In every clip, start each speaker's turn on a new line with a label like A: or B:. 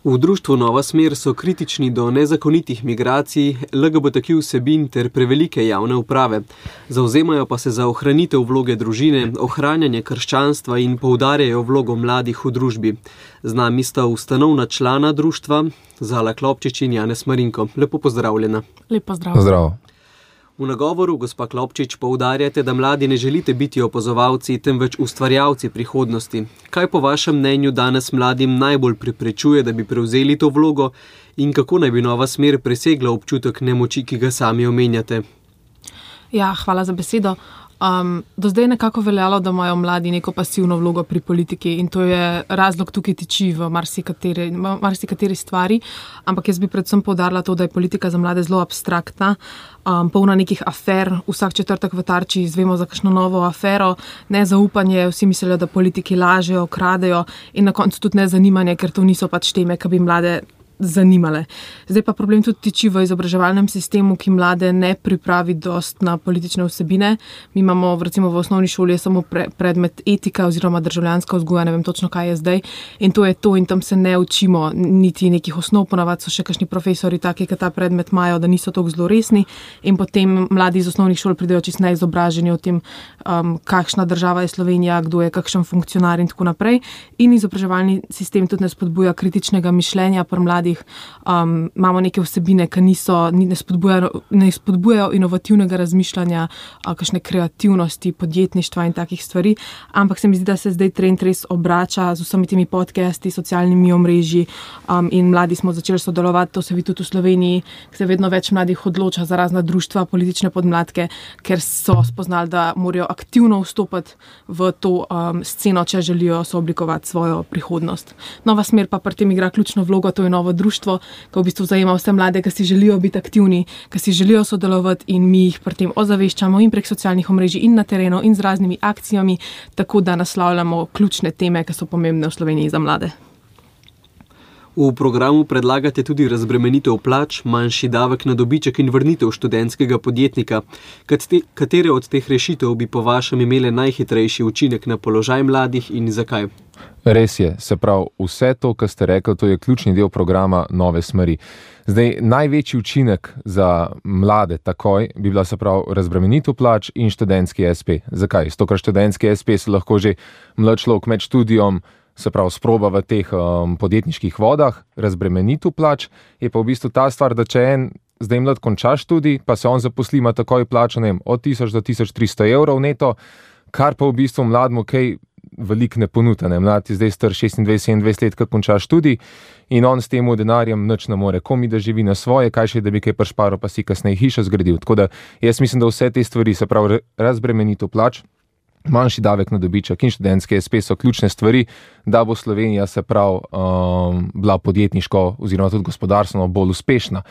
A: V društvu Nova smer so kritični do nezakonitih migracij, LGBTQ vsebin ter prevelike javne uprave. Zavzemajo pa se za ohranitev vloge družine, ohranjanje krščanstva in poudarjajo vlogo mladih v družbi. Z nami sta ustanovna člana društva, Zala Klopčič in Janez Marinko. Lepo pozdravljena.
B: Lep pozdrav.
C: Pozdrav.
A: V nagovoru, gospa Klopčič, poudarjate, da mladi ne želite biti opazovalci, temveč ustvarjalci prihodnosti. Kaj po vašem mnenju danes mladim najbolj preprečuje, da bi prevzeli to vlogo in kako naj bi Nova smer presegla občutek nemoči, ki ga sami omenjate?
B: Ja, hvala za besedo. Do zdaj je nekako veljalo, da imajo mladi neko pasivno vlogo pri politiki in to je razlog tukaj tiči v marsikateri stvari, ampak jaz bi predvsem poudarila to, da je politika za mlade zelo abstraktna, polna nekih afer, vsak četrtek v Tarči izvemo za kakšno novo afero, nezaupanje, vsi mislijo, da politiki lažejo, kradejo in na koncu tudi nezanimanje, ker to niso pač teme, ki bi mlade zanimale. Zdaj pa problem tudi tiči v izobraževalnem sistemu, ki mlade ne pripravi dost na politične vsebine. Mi imamo recimo v osnovni šoli samo predmet etika oziroma državljanska vzgoja, ne vem točno, kaj je zdaj. In to je to in tam se ne učimo niti nekih osnov, ponavadi so še kakšni profesori taki, ki ta predmet imajo, da niso toliko zelo resni in potem mladi iz osnovnih šol pridejo čisto neizobraženi o tem, kakšna država je Slovenija, kdo je kakšen funkcionar in tako naprej. In izobraževalni sistem tudi ne spodbuja kritičnega mišljenja pri mladih. Imamo neke vsebine, ki ne spodbujajo inovativnega razmišljanja, kakšne kreativnosti, podjetništva in takih stvari, ampak se mi zdi, da se zdaj trend res obrača z vsemi temi podcasti, socialnimi omrežji in mladi smo začeli sodelovati, to se vidi tudi v Sloveniji, se vedno več mladih odloča za razna društva, politične podmladke, ker so spoznali, da morajo aktivno vstopati v to sceno, če želijo sooblikovati svojo prihodnost. Nova smer pa pri tem igra ključno vlogo, to je novo društvo, ki v bistvu zajema vse mlade, ki si želijo biti aktivni, ki si želijo sodelovati in mi jih pri tem ozaveščamo in prek socialnih omrežij in na terenu in z raznimi akcijami, tako da naslavljamo ključne teme, ki so pomembne v Sloveniji za mlade.
A: V programu predlagate tudi razbremenitev plač, manjši davek na dobiček in vrnitev študentskega podjetnika. Katere od teh rešitev bi po vašem imele najhitrejši učinek na položaj mladih in zakaj?
C: Res je, se pravi, vse to, kar ste rekli, to je ključni del programa Nove smeri. Zdaj, največji učinek za mlade takoj bi bila se pravi razbremenitev plač in študentski SP. Zakaj? Zato, ker študentski SP se lahko že mlad človek med študijom se pravi sproba v teh podjetniških vodah, razbremenitev plač je pa v bistvu ta stvar, da če en zdaj mlad konča študij, pa se on zaposli, ima takoj plačo, ne vem, od 1000 do 1300 evrov neto, kar pa v bistvu mladmu kaj veliko ne ponuta. Mlad je zdaj star 26-27 let, ko konča študij in on s tem denarjem nič ne more, komi da živi na svoje, kaj še da bi kaj prišparal, pa si kasneje hišo zgradil. Tako da jaz mislim, da vse te stvari, se pravi razbremenitev plač, manjši davek na dobiček in študentske SP so ključne stvari, da bo Slovenija se pravi bila podjetniško oziroma tudi gospodarstveno bolj uspešna.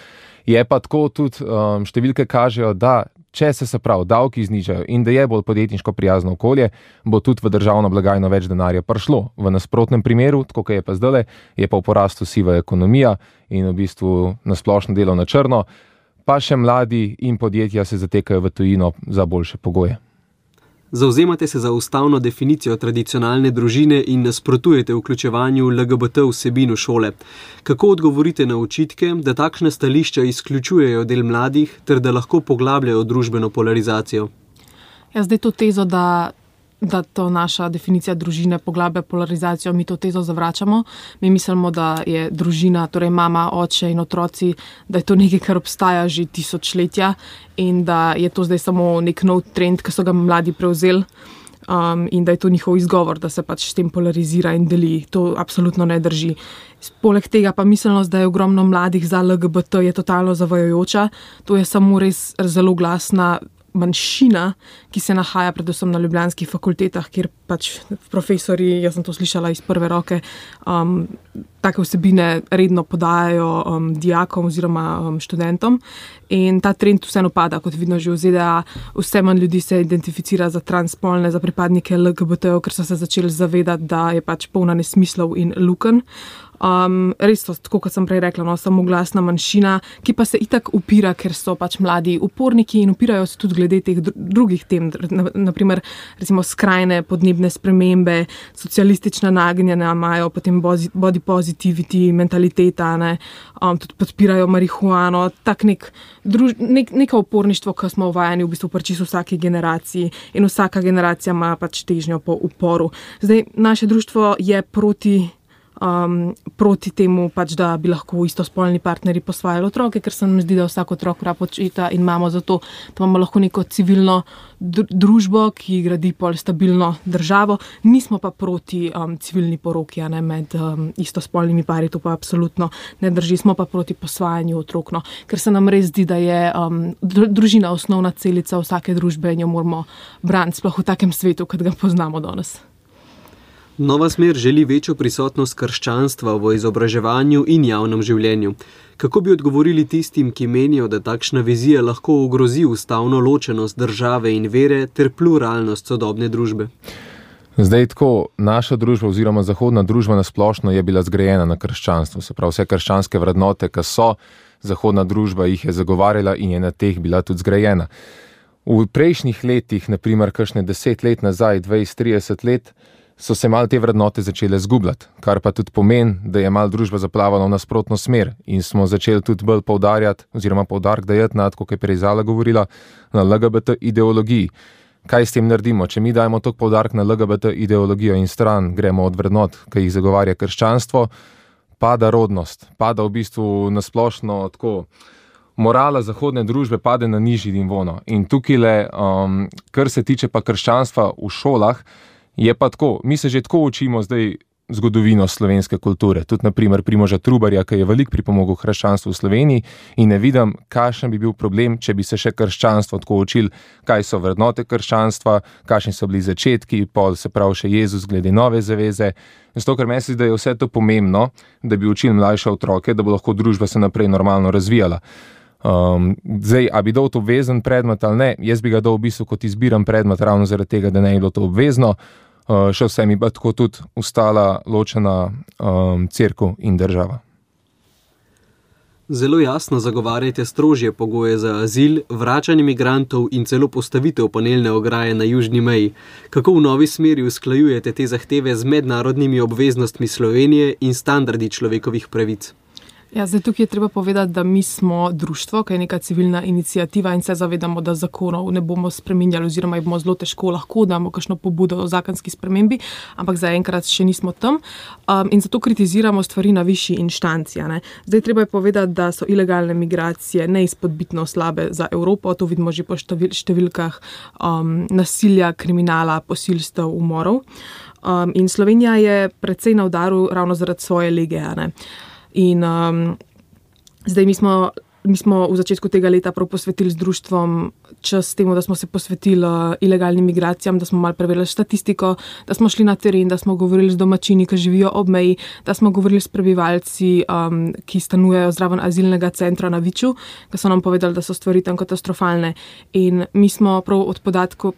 C: Je pa tako tudi številke kažejo, da če se pravi davki znižajo in da je bolj podjetniško prijazno okolje, bo tudi v državno blagajno več denarja prišlo. V nasprotnem primeru, tako kot je pa zdajle, je pa v porastu siva ekonomija in v bistvu nasplošno delo na črno, pa še mladi in podjetja se zatekajo v tujino za boljše pogoje.
A: Zavzemate se za ustavno definicijo tradicionalne družine in nasprotujete vključevanju LGBT vsebin v šole. Kako odgovorite na očitke, da takšne stališča izključujejo del mladih ter da lahko poglabljajo družbeno polarizacijo?
B: Ja, zdaj to tezo, da to naša definicija družine poglablja polarizacijo, mi to tezo zavračamo. Mi mislimo, da je družina, torej mama, oče in otroci, da je to nekaj, kar obstaja že tisočletja in da je to zdaj samo nek nov trend, ki so ga mladi prevzeli in da je to njihov izgovor, da se pač s tem polarizira in deli. To absolutno ne drži. Poleg tega pa miselnost, da je ogromno mladih za LGBT, je totalno zavajajoča. To je samo res zelo glasna manjšina, ki se nahaja predvsem na ljubljanskih fakultetah, kjer pač profesori, jaz sem to slišala iz prve roke, take vsebine redno podajajo dijakom oziroma študentom in ta trend vseeno pada, kot vidno že v ZDA, vse manj ljudi se identificira za transspolne, za pripadnike LGBT, ker so se začeli zavedati, da je pač polna nesmislov in lukenj. Res so, tako kot sem prej rekla, samo glasna manjšina, ki pa se itak upira, ker so pač mladi uporniki in upirajo se tudi glede teh drugih tem, naprimer recimo skrajne podnebne podnebne spremembe, socialistična nagnjenja, imajo potem body positivity, mentaliteta, tudi podpirajo marihuano, tak neko uporništvo, ki smo uvajani v bistvu čisto vsaki generaciji in vsaka generacija ima pač težnjo po uporu. Zdaj, naše društvo je proti temu, pač, da bi lahko istospolni partnerji posvajali otroke, ker se nam zdi, da vsak otrok rab očeta in imamo zato, da imamo lahko neko civilno družbo, ki gradi pol stabilno državo. Nismo pa proti civilni poroki med istospolnimi pari, to pa absolutno ne drži. Smo pa proti posvajanju otrok, ker se nam res zdi, da je družina osnovna celica vsake družbe in jo moramo braniti, sploh v takem svetu, kot ga poznamo danes.
A: Nova smer želi večjo prisotnost krščanstva v izobraževanju in javnem življenju. Kako bi odgovorili tistim, ki menijo, da takšna vizija lahko ogrozi ustavno ločenost države in vere ter pluralnost sodobne družbe?
C: Zdaj tako, naša družba oziroma zahodna družba nasplošno je bila zgrajena na krščanstvu. Se pravi, vse krščanske vrednote, ki so, zahodna družba jih je zagovarjala in je na teh bila tudi zgrajena. V prejšnjih letih, naprimer kakšne 10 let nazaj, 20-30 let, so se mal te vrednote začele zgubljati, kar pa tudi pomeni, da je mal družba zaplavala v nasprotno smer in smo začeli tudi bolj poudarjati, oziroma poudarek dajati na, kot je prej Zala govorila, na LGBT ideologiji. Kaj s tem naredimo? Če mi dajemo toliko poudarek na LGBT ideologijo in stran gremo od vrednot, ki jih zagovarja krščanstvo, pada rodnost, pada v bistvu nasplošno tako, morala zahodne družbe pade na nižji nivo. In tukaj, kar se tiče pa krščanstva v šolah, je pa tako, mi se že tako učimo zdaj zgodovino slovenske kulture. Tudi naprimer Primoža Trubarja, ki je veliko pripomogel krščanstvu v Sloveniji in ne vidim, kakšen bi bil problem, če bi se še krščanstvo tako učili, kaj so vrednote krščanstva, kakšni so bili začetki, pol se pravi še Jezus glede nove zaveze. Zato, ker meni se zdi, da je vse to pomembno, da bi učili mlajše otroke, da bo lahko družba se naprej normalno razvijala. Zdaj, a bi dal to obvezen predmet ali ne, jaz bi ga dal v bistvu kot izbiran predmet ravno zaradi tega, da ne je bilo to obvezno, še vse mi pa tako tudi ostala ločena cerkev in država.
A: Zelo jasno zagovarjate strožje pogoje za azil, vračanje migrantov in celo postavitev panelne ograje na južni meji. Kako v novi smeri usklajujete te zahteve z mednarodnimi obveznostmi Slovenije in standardi človekovih pravic?
B: Ja, zdaj tukaj je treba povedati, da mi smo društvo, ki je neka civilna iniciativa in se zavedamo, da zakonov ne bomo spreminjali oziroma jih bomo zelo težko lahko damo kakšno pobudo o zakonski spremembi, ampak zaenkrat še nismo tam in zato kritiziramo stvari na višji inštanci. Zdaj treba je povedati, da so ilegalne migracije neizpodbitno slabe za Evropo, to vidimo že po številkah nasilja, kriminala, posilstev, umorov in Slovenija je precej na udaru ravno zaradi svoje lege. In zdaj mi smo v začetku tega leta prav posvetili z društvom čas temu, da smo se posvetili ilegalnim migracijam, da smo malo preverili statistiko, da smo šli na teren, da smo govorili z domačini, ki živijo ob meji, da smo govorili s prebivalci, ki stanujejo zraven azilnega centra na Viču, ki so nam povedali, da so stvari tam katastrofalne. In mi smo prav od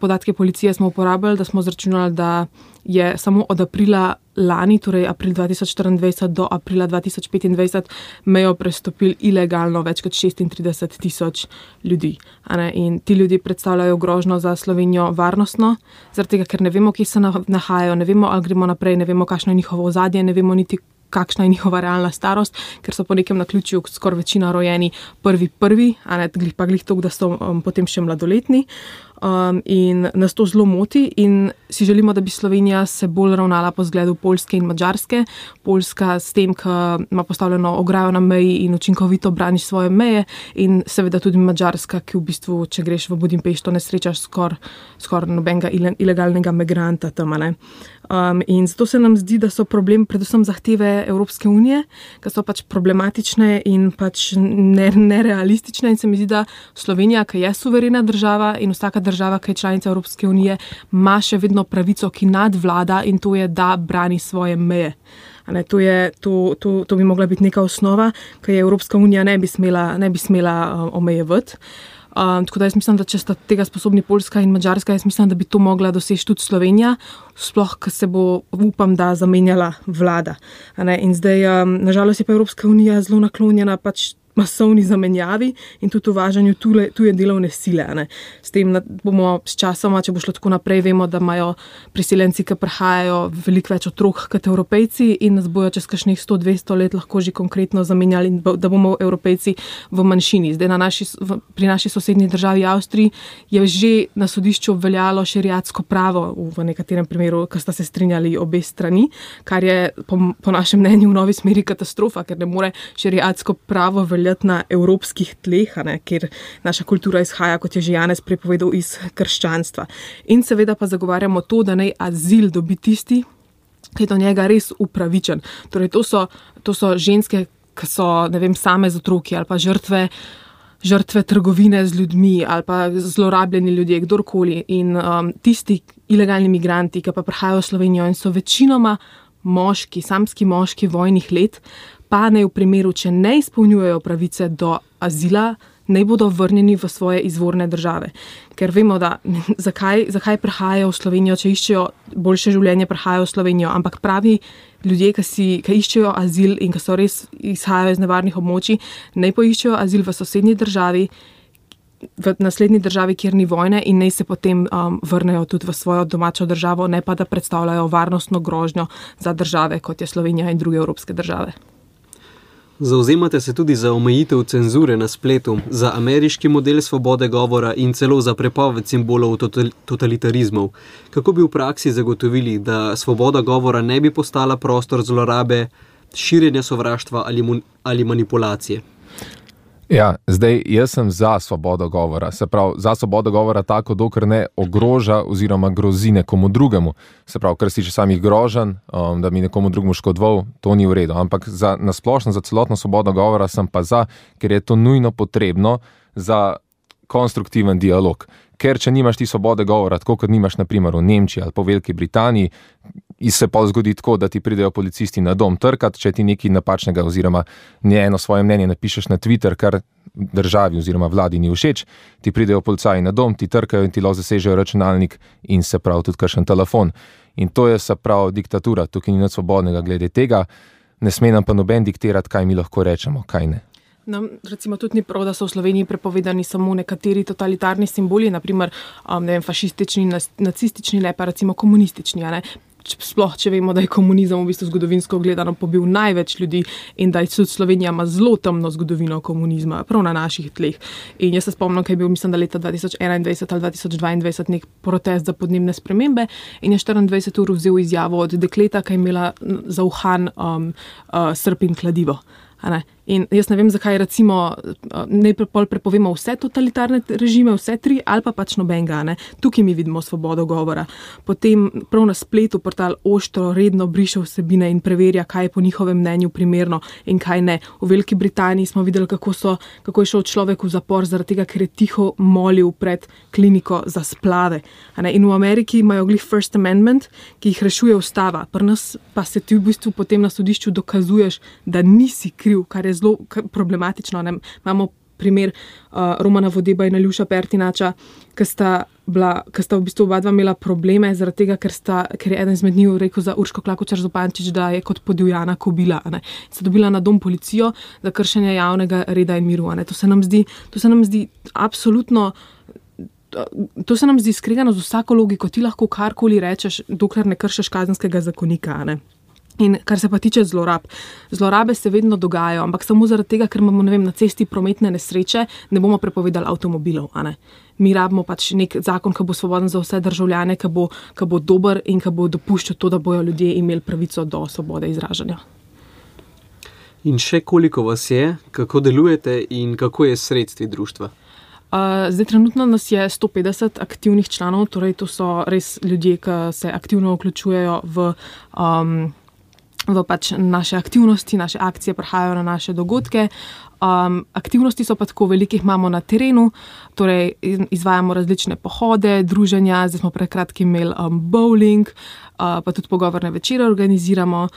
B: podatke policije smo uporabljali, da smo zračunali, da je samo od aprila lani, torej april 2024 do aprila 2025, mejo prestopili ilegalno več kot 36,000 ljudi. In ti ljudje predstavljajo grožnjo za Slovenijo varnostno, zaradi tega, ker ne vemo, kje se nahajajo, ne vemo, ali gremo naprej, ne vemo, kakšno je njihovo ozadje, ne vemo niti, kakšna je njihova realna starost, ker so po nekem naključju skoraj večina rojeni prvi, pa glih toliko, da so potem še mladoletni. In nas to zelo moti in si želimo, da bi Slovenija se bolj ravnala po zgledu Poljske in Madžarske. Poljska s tem, ki ima postavljeno ograjo na meji in učinkovito brani svoje meje in seveda tudi Madžarska, ki v bistvu, če greš v Budimpešto, ne srečaš skoraj nobenega ilegalnega migranta tam. In zato se nam zdi, da so problem predvsem zahteve Evropske unije, ki so pač problematične in pač nerealistične in se mi zdi, da Slovenija, ki je suverena država in vsaka država, ki je članica Evropske unije, ima še vedno pravico, ki nadvlada in to je, da brani svoje meje. To bi mogla biti neka osnova, ki je Evropska unija ne bi smela omejevati. Tako da jaz mislim, da če sta tega sposobni Poljska in Madžarska, jaz mislim, da bi to mogla doseči tudi Slovenija, sploh, ko se bo, upam, da zamenjala vlada. In zdaj, nažalost je pa Evropska unija zelo naklonjena pač masovni zamenjavi in tudi uvažanju tuje delovne sile. Ne. S tem bomo s časoma, če bo šlo tako naprej, vemo, da imajo priseljenci, ki prihajajo, veliko več otrok kot Evropejci in nas bojo čez kakšnih 100-200 let lahko že konkretno zamenjali in da bomo Evropejci v manjšini. Zdaj pri naši sosednji državi Avstriji je že na sodišču obveljalo šeriatsko pravo v nekaterem primeru, ko sta se strinjali obe strani, kar je po našem mnenju v novi smeri katastrofa, ker ne more šeriatsko pravo veljati na evropskih tleh, ker naša kultura izhaja, kot je že Janez prepovedal, iz krščanstva. In seveda pa zagovarjamo to, da naj azil dobi tisti, ki je do njega res upravičen. Torej, to so ženske, ki so, ne vem, same z otroki ali pa žrtve trgovine z ljudmi ali pa zlorabljeni ljudje, kdorkoli. In tisti ilegalni migranti, ki pa prihajajo v Slovenijo in so večinoma moški, samski moški vojnih let, pa naj v primeru, če ne izpolnjujejo pravice do azila, naj bodo vrnjeni v svoje izvorne države. Ker vemo, da zakaj prihajajo v Slovenijo, če iščejo boljše življenje, prihajajo v Slovenijo, ampak pravi ljudje, ki iščejo azil in ki so res izhajajo iz nevarnih območij, naj poiščejo azil v sosednji državi, v naslednji državi, kjer ni vojne in naj se potem vrnejo tudi v svojo domačo državo, ne pa da predstavljajo varnostno grožnjo za države, kot je Slovenija in druge evropske države.
A: Zavzemate se tudi za omejitev cenzure na spletu, za ameriški model svobode govora in celo za prepoved simbolov totalitarizmov. Kako bi v praksi zagotovili, da svoboda govora ne bi postala prostor zlorabe, širjenja sovraštva ali manipulacije?
C: Ja, zdaj jaz sem za svobodo govora, se pravi za svobodo govora tako, dokler ne ogroža oziroma grozi nekomu drugemu. Se pravi, kar si že samih grožen, da bi nekomu drugemu škodoval, to ni v redu. Ampak na splošno, za celotno svobodo govora sem pa za, ker je to nujno potrebno za konstruktiven dialog. Ker če nimaš ti svobode govora, tako kot nimaš na primer v Nemčiji ali po Veliki Britaniji, se pa zgodi tako, da ti pridejo policisti na dom trkat, če ti nekaj napačnega oziroma eno svoje mnenje napišeš na Twitter, kar državi oziroma vladi ni všeč, ti pridejo policaji na dom, ti trkajo in ti lahko zasežejo računalnik in se pravi tudi kakšen telefon. In to je se pravi diktatura, tukaj ni nič svobodnega glede tega, ne sme nam pa noben diktirati, kaj mi lahko rečemo, kaj ne.
B: Nam recimo tudi ni prav, da so v Sloveniji prepovedani samo nekateri totalitarni simboli, naprimer fašistični, nacistični, ne pa recimo komunistični, ne? Sploh, če vemo, da je komunizem v bistvu zgodovinsko gledano pobil največ ljudi in da je tudi Slovenija ima zelo temno zgodovino komunizma, prav na naših tleh. In jaz se spomnim, kaj je bil, mislim, da leta 2021 ali 2022 nek protest za podnebne spremembe in je 24 ur vzel izjavo od dekleta, ki je imela za uhan srp in kladivo. In jaz ne vem, zakaj recimo najprej prepovemo vse totalitarne režime, vse tri, ali pa pač nobenega. Tukaj mi vidimo svobodo govora. Potem prav na spletu portal Oštro redno briše vsebine in preverja, kaj je po njihovem mnenju primerno in kaj ne. V Veliki Britaniji smo videli, kako je šel človek v zapor zaradi tega, ker je tiho molil pred kliniko za splave. In v Ameriki imajo glih First Amendment, ki jih rešuje ustava. Pri nas pa se ti v bistvu potem na sodišču dokazuješ, da nisi kriv, kar je zelo problematično. Imamo primer Romana Vodeba in Aljuša Pertinača, ki sta v bistvu oba dva imela probleme zaradi tega, ker je eden izmed njih rekel za Urško Klakočar Zupančič, da je kot podivjana kobila. Sta dobila na dom policijo za kršenje javnega reda in miru. To se nam zdi absolutno. To se nam zdi skregano z vsako logiko. Ti lahko karkoli rečeš, dokler ne kršiš kazenskega zakonika. In kar se pa tiče zlorab. Zlorabe se vedno dogajajo, ampak samo zaradi tega, ker imamo, na cesti prometne nesreče, ne bomo prepovedali avtomobilov. Mi rabimo pač nek zakon, ki bo svoboden za vse državljane, ki bo dober in ki bo dopuščal to, da bojo ljudje imeli pravico do svobode izražanja.
A: In še koliko vas je, kako delujete in kako je s sredstvi društva?
B: Zdaj trenutno nas je 150 aktivnih članov, torej to so res ljudje, ki se aktivno vključujejo v pač naše aktivnosti, naše akcije, prihajajo na naše dogodke. Aktivnosti so pa tako velike, imamo na terenu, torej izvajamo različne pohode, druženja, zdaj smo pred kratkim imeli bowling, pa tudi pogovorne večere organiziramo.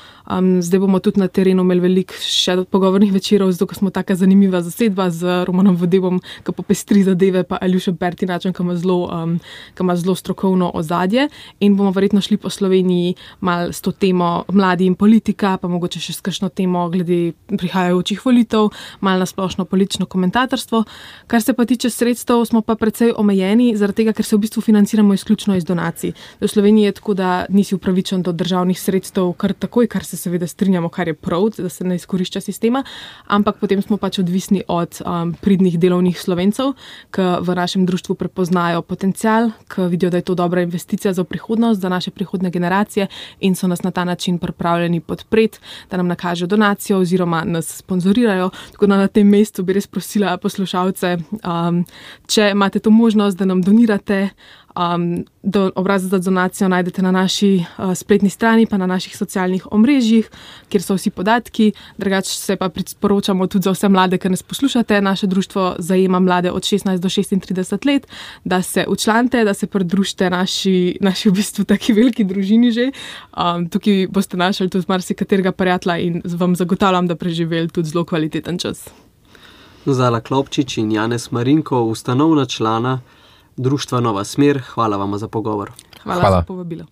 B: Zdaj bomo tudi na terenu imeli veliko še pogovornih večerov, zato ker smo taka zanimiva zasedba z Romanom Vodebom, ki popestri zadeve, pa Aljušem Pertinačem, ki ima zelo strokovno ozadje. In bomo verjetno šli po Sloveniji malo s to temo mladi in politika, pa mogoče še s kakšno temo glede prihajajočih volitev, malo malo na splošno politično komentatorstvo. Kar se pa tiče sredstev, smo pa precej omejeni, zaradi tega, ker se v bistvu financiramo izključno iz donacij. V Sloveniji je tako, da nisi upravičen do državnih sredstev kar takoj, kar se seveda strinjamo, kar je prav, da se ne izkorišča sistema, ampak potem smo pač odvisni od pridnih delovnih Slovencev, ki v našem društvu prepoznajo potencial, ki vidijo, da je to dobra investicija za prihodnost, za naše prihodne generacije in so nas na ta način pripravljeni podpreti, da nam nakažejo donacijo oziroma nas sponzorirajo. Tako da na tem mestu bi res prosila poslušalce, če imate to možnost, da nam donirate. Obrazec za donacijo najdete na naši spletni strani, pa na naših socialnih omrežjih, kjer so vsi podatki. Drugače se pa priporočamo tudi za vse mlade, ki nas poslušate. Naše društvo zajema mlade od 16 do 36 let, da se včlanite, da se pridružite naši v bistvu taki veliki družini že. Tukaj boste našli tudi marsikaterega prijatelja in vam zagotavljam, da preživeli tudi zelo kvaliteten čas.
A: Zala Klopčič in Janez Marinko, ustanovna člana Društva Nova smer, hvala vam za pogovor.
B: Hvala za povabilo.